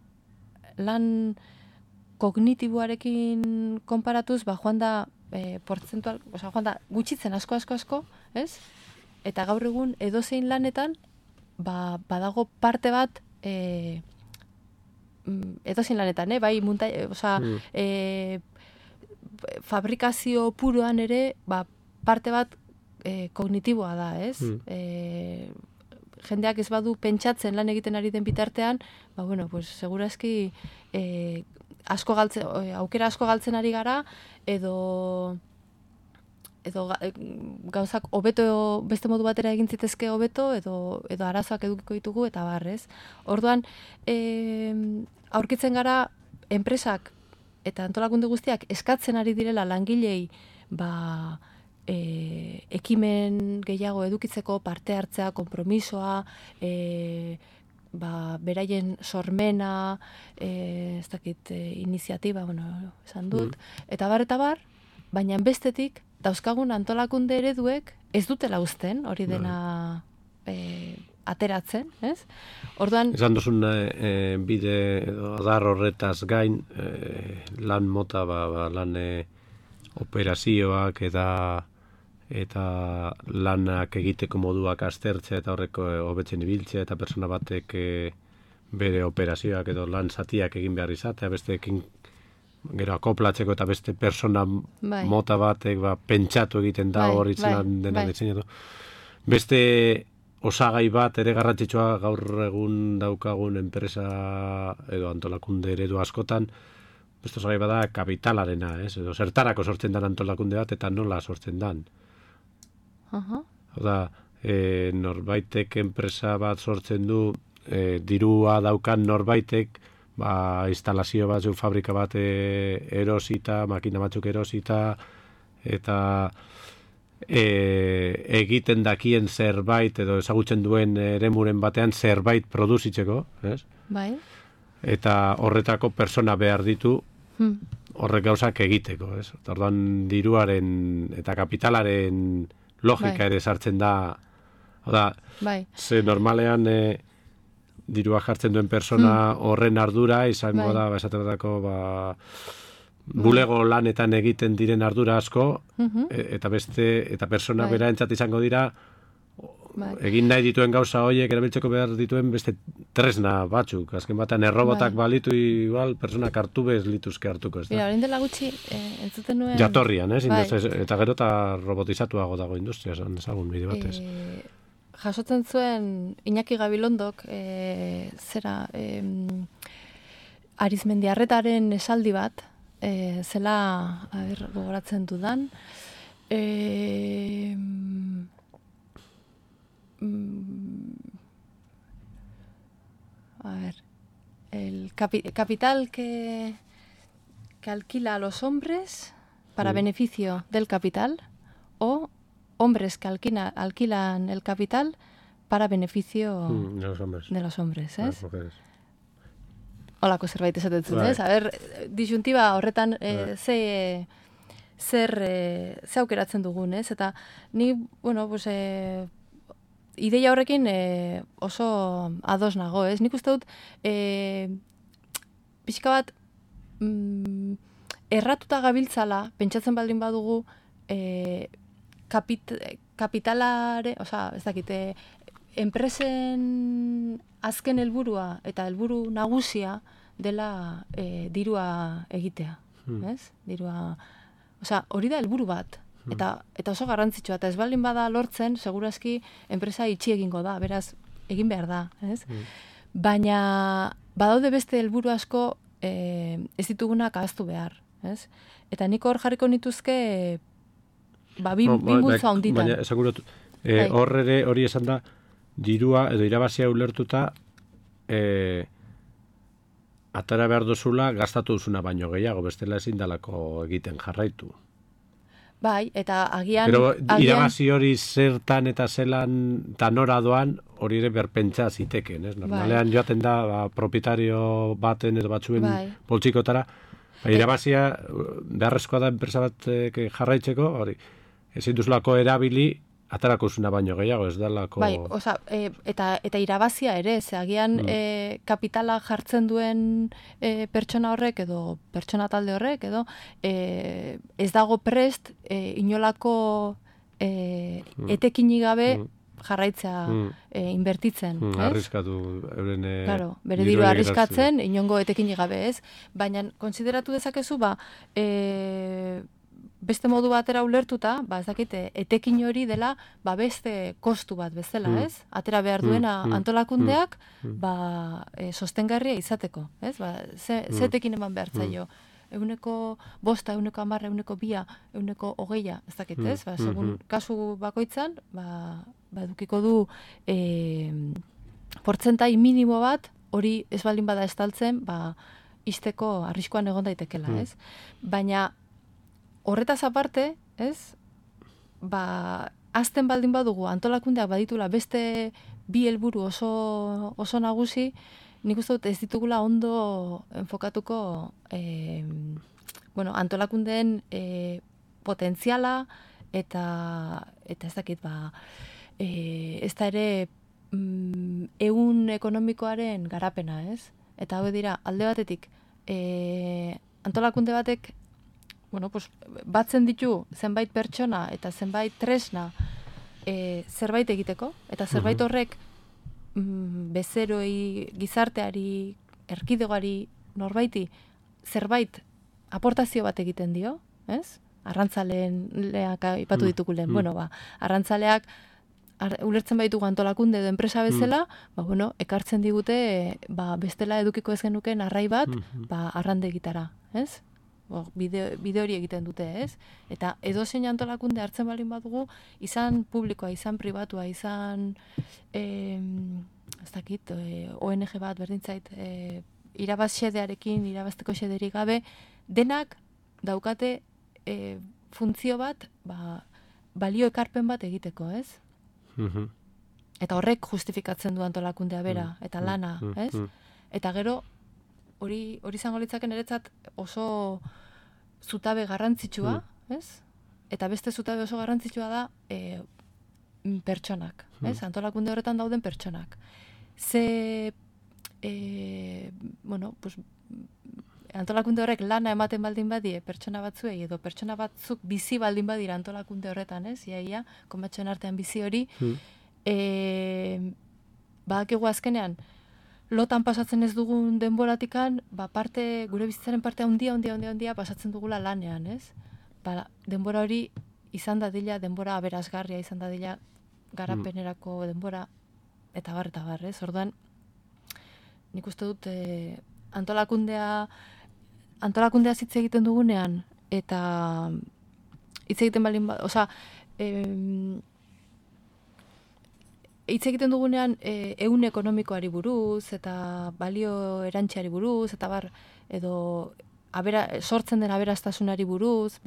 lan kognitiboarekin konparatuz, joan da portzentual, joan da gutxitzen asko, ez? Eta gaur egun edozein lanetan, badago parte bat edozein lanetan, bai fabrikazio puruan ere, parte bat kognitiboa da, ez? Jendeak ez badu pentsatzen lan egiten ari den bitartean, segurazki aukera asko galtzen ari gara, edo gauzak hobeto beste modu batera egin zitezke hobeto, edo arazoak edukiko ditugu, eta barrez. Orduan, aurkitzen gara enpresak eta antolakunde guztiak eskatzen ari direla langilei ekimen gehiago edukitzeko, parte hartzea, konpromisoa, beraien sormena, iniziatiba, esan dut, eta bar, baina bestetik, dauzkagun antolakunde ereduek ez dutela uzten, hori dena ateratzen, ez? Orduan... Esan duzun bide edo adar horretaz gain, lan mota, lan operazioak eta lanak egiteko moduak aztertzea eta horreko hobetzen ibiltzea eta persona batek bere operazioak edo lan zatiak egin behar izatea, besteekin gero akoplatzeko eta beste persona mota batek pentsatu egiten da hori dena diseinatu. Beste osagai bat ere garrantzitsua gaur egun daukagun enpresa edo antolakunde eredu askotan, beste osagai bada kapitalarena, edo zertarako sortzen dan antolakunde bat eta nola sortzen dan. Norbaitek enpresa bat sortzen du, dirua daukan norbaitek, instalazio batzuk, fabrika bat erosita, makina batzuk erosita, eta egiten dakien zerbait, edo ezagutzen duen eremuren batean zerbait produzitzeko, ez? Bai. Eta horretako persona behar ditu, horrek gauzak egiteko, ez? Orduan diruaren eta kapitalaren logika ere sartzen da, ze normalean dirua jartzen duen persona horren ardura izango da, esaterako bulego lanetan egiten diren ardura asko, eta persona bera entzat izango dira, egin nahi dituen gauza horiek erabiltzeko behar dituen beste tresna batzuk. Azken batean errobotak balitu igual, personak hartu bez lituzke hartuko. Mira, orain dela gutxi, entzuten nuen... Jatorrian, eta gero eta robotizatuago dago industria, ezagun bide batez. Jasotzen zuen Iñaki Gabilondok, Arizmendiarretaren esaldi bat, zela, gogoratzen dudan, el capital que alquila a los hombres para beneficio del capital, o hombres que alquilan el capital para beneficio de los hombres, ¿es? Holako zerbait esaten zuen, ez? Disyuntiba horretan zer aukeratzen dugun, ez? Eta ni, ideia horrekin oso ados nago, ez? Nik uste dut, pixka bat, erratuta gabiltzala, pentsatzen baldin badugu, kapitalare, ez dakite, enpresen azken helburua eta helburu nagusia dela dirua egitea, ez? Dirua, hori da helburu bat. Eta oso garrantzitsua, eta ez baldin bada lortzen, segurazki enpresa itxi egingo da, beraz, egin behar da, ez? Baina, badaude beste helburu asko ez ditugunak ahaztu behar, ez? Eta nik hor jarriko nituzke bi multzo handitan. Baina, esaguratu, hori esan da, dirua edo irabazia ulertuta atara behar duzula gastatu duzuna baino gehiago, bestela ezin dalako egiten jarraitu. Bai, eta agian... Pero irabazi hori zertan eta zelan eta nora doan hori ere berpentsa ziteken, ez? Normalean joaten da propietario baten edo batzuen poltsikotara, irabazia beharrezkoa da enpresa bat jarraitzeko, hori ezin duzulako erabili atarako zuna baino gehiago, ez dalako... Bai, eta irabazia ere, agian kapitala jartzen duen pertsona horrek edo pertsona talde horrek edo ez dago prest inolako etekini gabe jarraitzea inbertitzen, ez? Arriskatu euren bere diru arriskatzen inongo etekini gabe, ez? Baina konsideratu dezakezu, beste modu batera ulertuta, ez dakite, etekin hori dela, beste kostu bat bezala, ez? Atera behar duena antolakundeak, sostengarria izateko, ez? Ze etekin eman behar zaio? 100%, 110%, 200%, 120%, ez dakit, ez? Segun kasu bakoitzan, edukiko du portzentai minimo bat, hori ez baldin bada estaltzen, izteko arriskuan egon daitekela, ez? Baina horretaz aparte, ez? Azten baldin badugu antolakundeak baditula beste bi helburu oso nagusi, nik uste dut ez ditugula ondo enfokatuko antolakundeen potentziala eta ez dakit ez da ere ehun ekonomikoaren garapena, ez? Eta hau dira, alde batetik antolakunde batek batzen ditu zenbait pertsona eta zenbait tresna zerbait egiteko, eta zerbait horrek bezeroi, gizarteari, erkidegoari, norbaiti, zerbait aportazio bat egiten dio, ez? Arrantzaleak ipatu ditugu lehen, arrantzaleak ulertzen baitugu antolakunde edo enpresa bezala, ekartzen digute bestela edukiko ez genuken arrai bat, arrande egitara, ez? Bide hori egiten dute, ez? Eta edozein antolakunde hartzen balin badugu, izan publikoa, izan pribatua, izan ez dakit, ONG bat berdintzait, irabaz xedearekin, irabazteko xederik gabe, denak daukate funtzio bat, balio ekarpen bat egiteko, ez? Eta horrek justifikatzen du antolakundea bera, eta lana, ez? Eta gero, hori izango litzaken eretzat oso zutabe garrantzitsua, ez? Eta beste zutabe oso garrantzitsua da pertsonak, ez? Antolakunde horretan dauden pertsonak. Antolakunde horrek lana ematen baldin badie pertsona batzuei edo pertsona batzuk bizi baldin badira antolakunde horretan, ez? Iaia, komatxoen artean bizi hori, badakigu azkenean, lotan pasatzen ez dugun denboratikan, gure bizitzaren parte handia pasatzen dugula lanean, ez? Denbora hori izan dadila, denbora aberasgarria izan dadila, garapenerako denbora, eta bar, ez? Orduan, nik uste dut antolakundea hitz egiten dugunean, eta hitz egiten balin hitz egiten dugunean ehun ekonomikoari buruz, eta balio erantziari buruz, eta edo sortzen den aberastasunari buruz,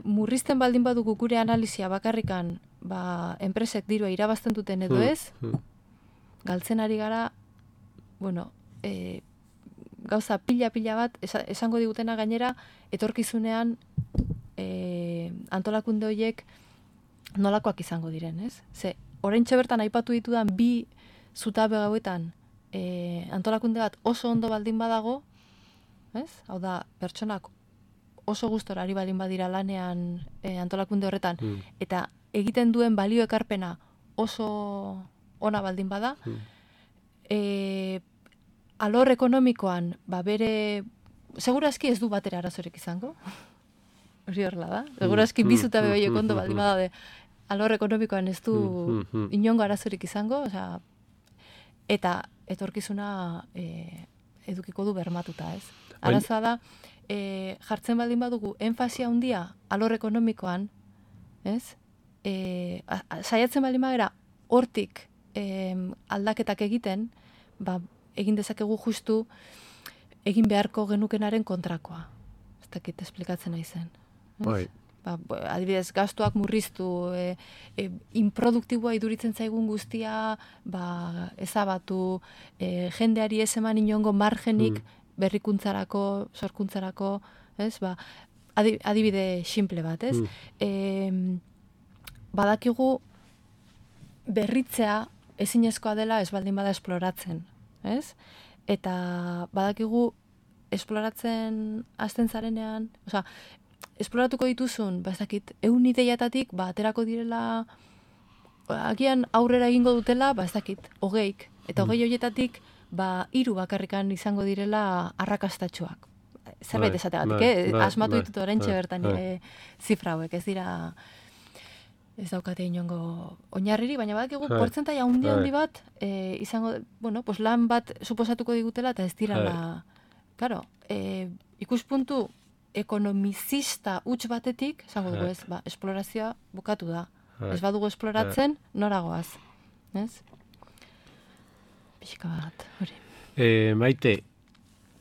murrizten baldin badugu gure analizia bakarrikan, enpresek dirua irabazten duten edo ez, galtzen ari gara, gauza pila bat, esango digutena gainera, etorkizunean antolakunde horiek nolakoak izango diren, ez? Oraintxe bertan aipatu ditudan bi zutabe gauetan antolakunde bat oso ondo baldin badago, ez? Hau da, pertsonak oso gustora ari baldin badira lanean antolakunde horretan, eta egiten duen balio ekarpena oso ona baldin bada, alor ekonomikoan, bere, segurazki ez du batera arazorik izango, hori horrela da, segurazki bi zutabe horiek ondo baldin badaude, alor ekonomikoan ez du inongo arazorik izango, eta etorkizuna edukiko du bermatuta, ez? Arazoa da, jartzen baldin badugu enfasia handia alor ekonomikoan, ez? Saiatzen baldin bagera hortik aldaketak egiten, egin dezakegu justu egin beharko genukenaren kontrakoa. Ez dakit esplikatzen nahi zen. Bai. adibidez, gastuak murriztu, inproduktiboa iduritzen zaigun guztia, ezabatu, jendeari ez eman inongo margenik berrikuntzarako, sorkuntzarako, ez? Adibide simple bat, ez? Badakigu berritzea ezinezkoa dela ez baldin bada esploratzen, ez? Eta badakigu esploratzen hasten zarenean, esploratuko dituzun, ez dakit, 100 ideiatatik, aterako direla, agian aurrera egingo dutela, ez dakit, 20, eta 20 horietatik, 3 bakarrikan izango direla arrakastatsuak. Zerbait esategatik, asmatu ditut oraintxe bertan zifra hauek, ez dira, ez daukate inongo oinarriri, baina badakigu portzentaia handi bat izango, lan bat suposatuko digutela, eta ez dirala, claro, ikuspuntu ekonomizista huts batetik, esango dugu ez, esplorazioa bukatu da. Ez badugu esploratzen, noragoaz. Ez? Pixka bat, hori. Maite,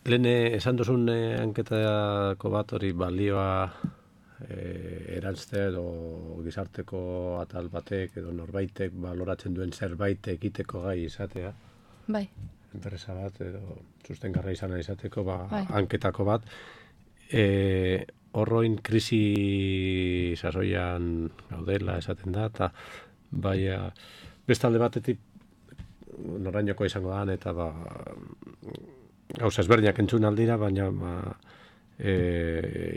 lehen esan duzun anketako bat hori balioa erantztea edo gizarteko atal batek edo norbaitek baloratzen duen zerbait egiteko gai izatea. Bai. Enpresa bat edo sustengarra izana izateko anketako bat. Horroin krisi sasoian gaudela esaten da, eta bestalde batetik norainoko izango da, eta gauza ezberdinak entzun aldira, baina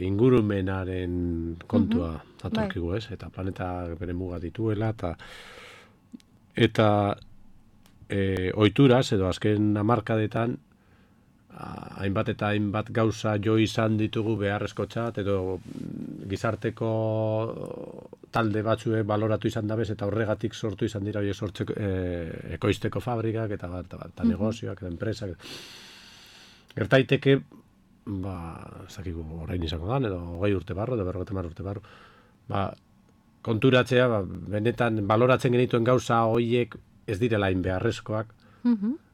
ingurumenaren kontua atorkigu, ez? Eta planeta bere muga dituela, eta ohituraz edo azken hamarkadetan hainbat eta hainbat gauza jo izan ditugu beharrezkotzat edo gizarteko talde batzue baloratu izan dabez eta horregatik sortu izan dira horiek sortzeko ekoizteko fabrikak eta negozioak eta enpresak. Gertaiteke, zakigu orain izango dan, edo 20 urte barro, edo 50 urte barro, konturatzea, benetan baloratzen genituen gauza horiek ez direla hain beharrezkoak,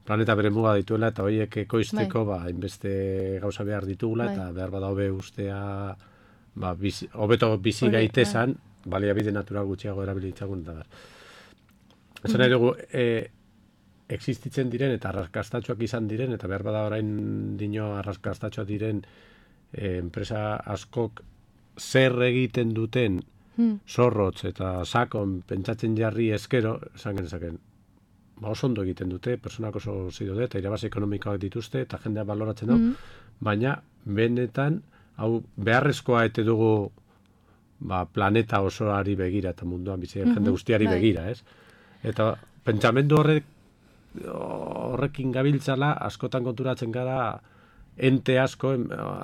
planeta bere muga dituela, eta horiek ekoizteko hainbeste gauza behar ditugula, eta behar bada hobe ustea, hobeto bizi gaitezan, baliabide natural gutxiago erabilitzagun, eta behar. Esan nahi dugu, existitzen diren eta arrakastatxoak izan diren, eta behar bada orain dino arrakastatxoak diren enpresa askok zer egiten duten zorrotz eta sakon pentsatzen jarri eskero, esan genezaken, oso ondo egiten dute, personak oso zido eta irabazi ekonomikoak dituzte, eta jendea baloratzen du, baina benetan, hau beharrezkoa ete dugu planeta osoari begira, eta munduan bizitzen jende guztiari begira, ez? Eta pentsamendu horrekin gabiltzala, askotan konturatzen gara, ente asko,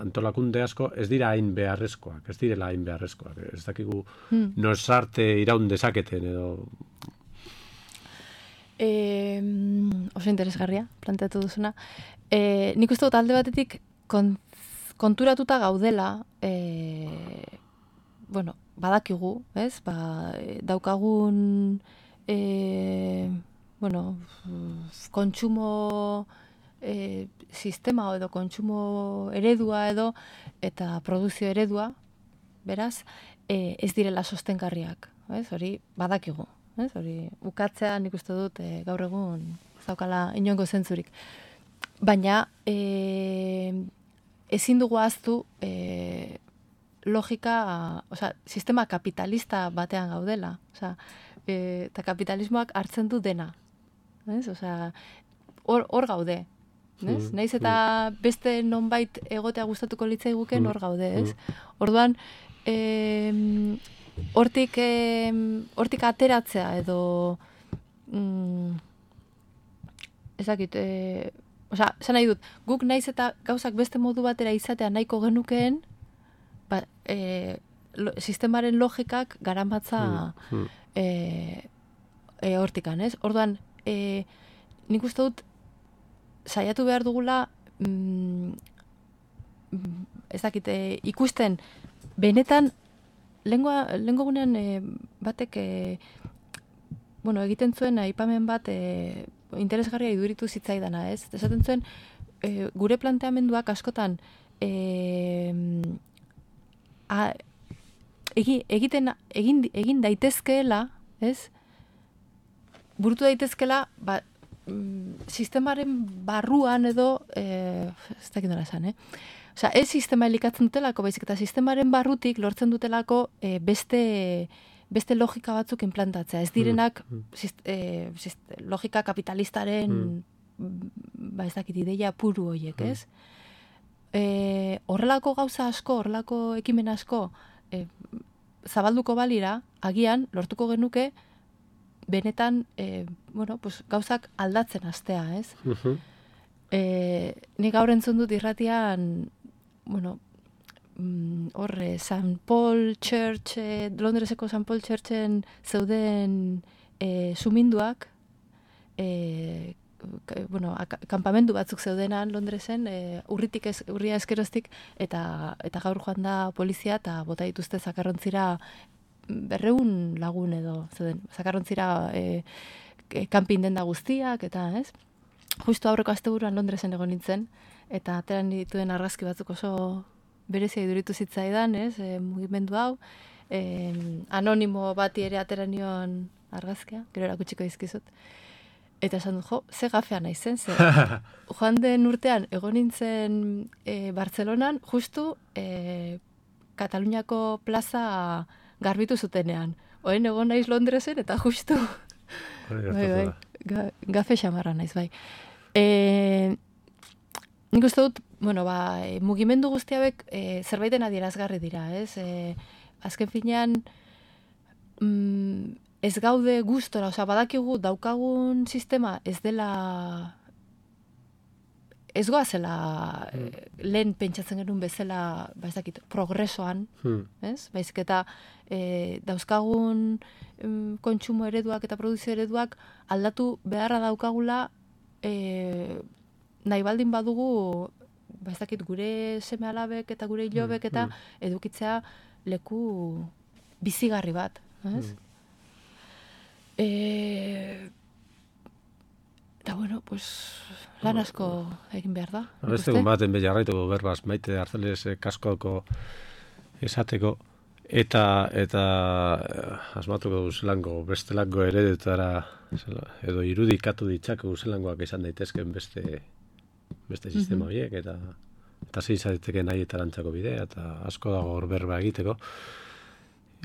antolakunde asko, ez dira hain beharrezkoak, ez direla hain beharrezkoak. Ez dakigu nosarte iraun dezaketen, edo... Oso interesgarria, planteatu duzuna. Nik uste dut alde batetik konturatuta gaudela, badakigu, ez? Daukagun kontsumo sistema edo kontsumo eredua edo eta produzio eredua, beraz, ez direla sostengarriak, ez? Hori badakigu. Hori, ukatzea nik uste dut gaur egun zaukala inongo zentzurik. Baina ezin dugu ahaztu logika, sistema kapitalista batean gaudela. Eta kapitalismoak hartzen du dena. Hor gaude. Naiz eta beste nonbait egotea gustatuko litzaiguken hor gaude. Orduan, hortik ateratzea edo ezakit, esan nahi dut, guk naiz eta gauzak beste modu batera izatea nahiko genukeen, sistemaren logikak garamatza hortikan, ez? Orduan, nik uste dut saiatu behar dugula ezakit, ikusten benetan lehengo gunean batek egiten zuen aipamen bat interesgarria iduritu zitzaidana, ez? Esaten zuen gure planteamenduak askotan egin daitezkeela, ez? Burutu daitezkeela, sistemaren barruan edo, ez dakit nola esan, Osea, ez sistema elikatzen dutelako, baizik eta sistemaren barrutik lortzen dutelako beste logika batzuk implantatzea. Ez direnak logika kapitalistaren ez dakit ideia puru horiek, ez? Horrelako gauza asko, horrelako ekimen asko zabalduko balira, agian lortuko genuke benetan gauzak aldatzen hastea, ez? Nik gaur entzun dut irratian St. Paul Church, Londreseko St. Paul Churchen zeuden suminduak, kampamendu batzuk zeudenan Londresen, urria eskeroztik, eta gaur joan da polizia eta bota dituzte zakarrontzira 200 lagun edo zeuden, zakarrontzira kanpin denda guztiak, eta ez? Justo aurreko asteburuan Londresen egon nintzen, eta ateran dituen argazki batzuk oso berezia iduritu zitzaidan, ez? Mugimendu hau, anonimo bati ere ateran nion argazkia, gero erakutsiko dizkizut. Eta esan dut, ze gafea naizen, ze joan den urtean egon nintzen Bartzelonan, justu Kataluniako plaza garbitu zutenean. Oen egon naiz Londresen, eta justu gafe xamarra naiz, bai. Nik uste dut, mugimendu guzti hauek zerbaiten adierazgarri dira, ez? Azken finean, ez gaude gustora, badakigu daukagun sistema ez dela, ez goazela lehen pentsatzen genuen bezala, progresoan, ez? Baizik eta dauzkagun kontsumo ereduak eta produzio ereduak aldatu beharra daukagula nahi baldin badugu gure seme-alabek eta gure ilobek eta edukitzea leku bizigarri bat, ez? Eta lan asko egin behar da. Beste baten beharraituko berbaz, Maite Arzeles kaskoko esateko, eta asmatuko zelango bestelango eredetara edo irudikatu ditzako zelangoak izan daitezken beste sistema horiek, eta zein zaiteke nahi eta lantzako bidea, eta asko dago hor berba egiteko.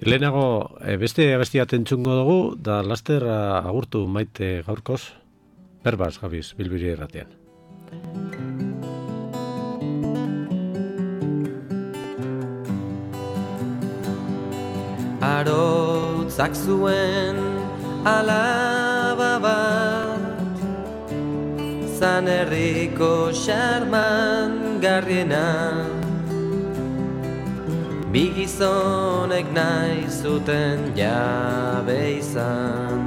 Lehenago, beste abestia tentzungo dugu, da laster agurtu Maite gaurkoz, berbaz gabiz, Bilbiri erratean. Arotzak zuen alaba bat, Zan herriko xarman garriena, bi gizonek nahi zuten jabe izan.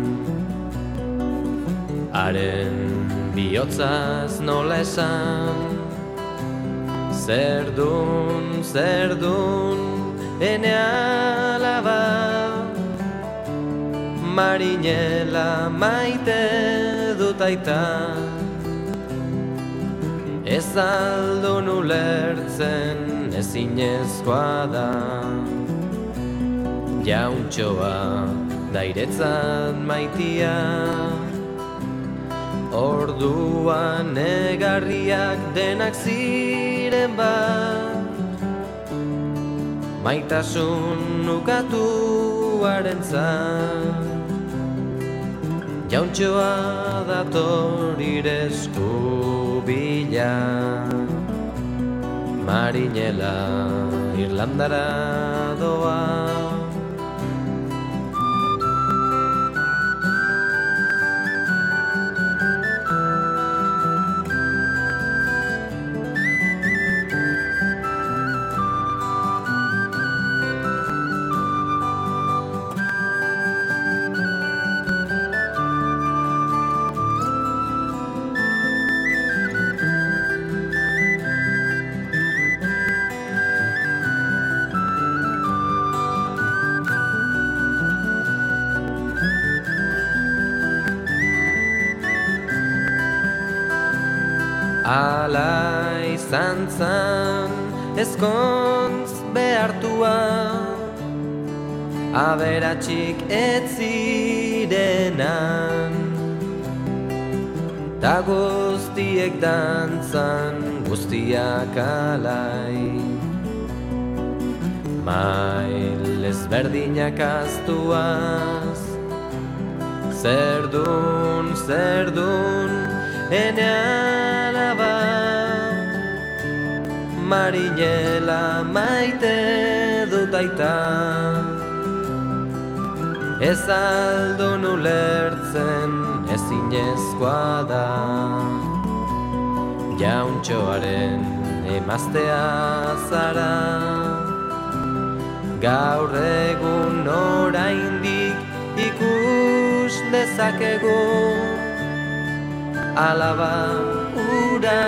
Haren bihotzaz nola esan, zerdun, ene alaba, marinela maite dut aita. Ez aldun ulertzen ezinezkoa da, jauntxoa dairetzat maitia. Orduan negarriak denak ziren bat, maitasun ukatuarentzat. Jauntxoa dator iresku bila, marinela Irlandara doa. Ala izan zan ezkontz behartua, aberatsik ez zirenan, ta guztiek dantzan, guztiak alai. Mail ezberdinak aztuaz, zerdun, ene alaba, marinela maite dut aita. Ez aldun ulertzen ezinezkoa da, jauntxoaren emaztea zara. Gaur egun oraindik ikus dezakegu, alaba ura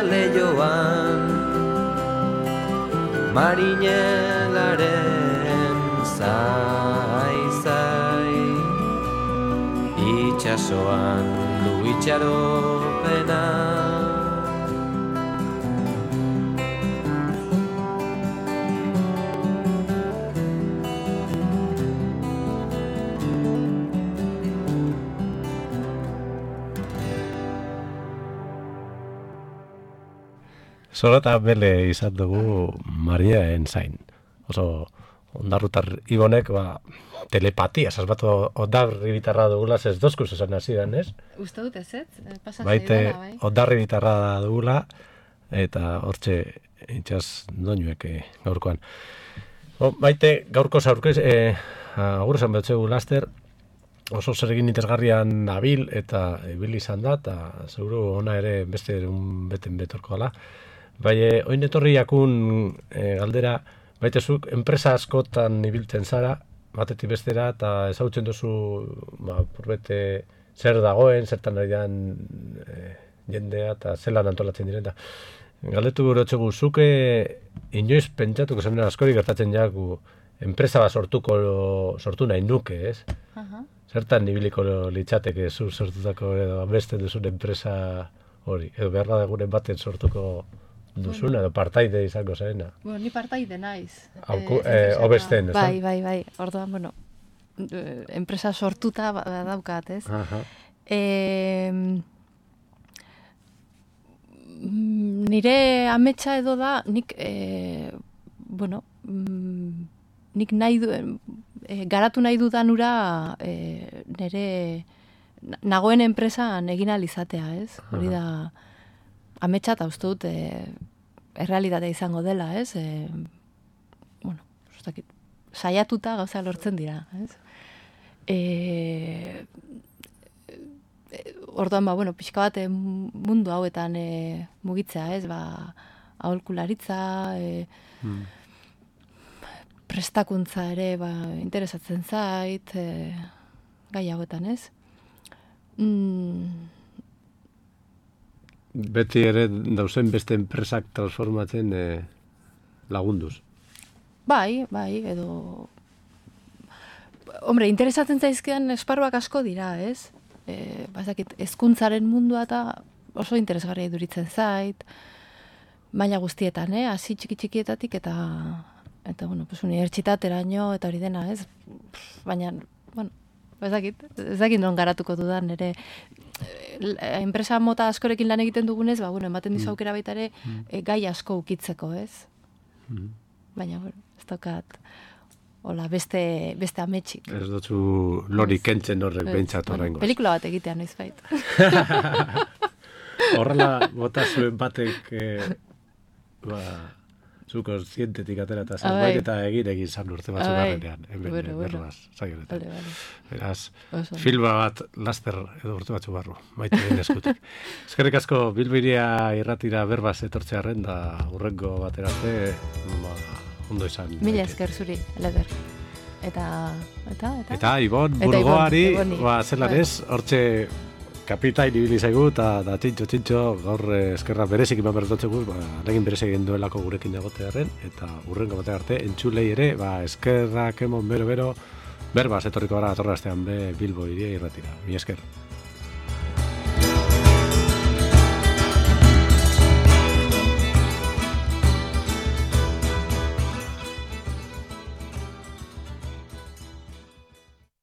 leioan, marinelaren zai, itxasoan du itxaropena. Zorata bele izan dugu Mariaen zain. Oso ondarrutar ibonek, telepatia, sasbatu ondarri bitarra dugula, ez dozkuz esan hasieran, ez? Uste dut ez, Baite ondarri bitarra dugula, eta hortxe itxaz doinuek gaurkoan. Baite, gaurko zaurkez, agur esan behotzegu laster, oso zer egin interesgarrian nabil eta ibil izan da, eta seguru ona ere beste beten betorko gala. Bai, oin etorri jakun galdera, baitezuk, enpresa askotan ibiltzen zara, batetik bestera, eta ezagutzen duzu, purbete, zer dagoen, zertan ari dan jendea, eta zelan antolatzen direnta. Galdetu gure txegu, zuke inoiz pentsatuko zen askori gertatzen jaku, enpresa bat sortu nahi nuke, ez? Zertan ibiliko litzateke zu sortutako edo beste duzun enpresa hori, edo behar da egunen baten sortuko duzuna, edo partaide izango zarena. Bueno, ni partaide naiz. Obesten, ez da? Bai. Orduan, enpresa sortuta daukat, ez? Nire ametsa edo da, nik nahi garatu nahi dudan ura nire nagoen enpresan egin alizatea, ez? Hori da ametsa eta uste dut errealitatea izango dela, ez? Saiatuta gauza lortzen dira, ez? Orduan, pixka bat mundu hauetan mugitzea, ez? Aholkularitza, prestakuntza ere interesatzen zait, gai hauetan, ez? Beti ere dauzen beste enpresak transformatzen lagunduz. Bai, edo... Hombre, interesatzen zaizkidan esparruak asko dira, ez? Hezkuntzaren mundua eta oso interesgarria iduritzen zait, maila guztietan, hasi txikietatik eta unibertsitateraino eta hori dena, ez? Baina, ez dakit non garatuko dudan, ere enpresa mota askorekin lan egiten dugunez, ematen dizu aukera baita ere gai asko ukitzeko, ez? Baina, ez daukat hola, beste ametsik. Ez dutzu lori kentzen horrek behintzat horrengoz. Pelikula bat egitean, noiz bait. Horrela, bota zuen batek zuko zientetik atera eta zerbait eta egin zan urte batzuk garrenean. Berbaz, zagionetan. Beraz, filma bat laster edo urte batzuk barru, maite egin eskutik. Eskerrik asko Bilbiria irratira berbaz etortzearen da urrengo baterarte ondo izan. Mila esker zuri, Leder. Eta Ibon Burgoari, zelan ez, hortxe kapitain ibili zaigu, eta txintxo, gaur eskerra berezik iman bertotzegu, legin berezik egin duelako gurekin egotearen, eta urrengo batean arte, entzulei ere, eskerrak emon bero, berbaz etorriko gara atorraztean Bilbo iria irratira. Mi esker.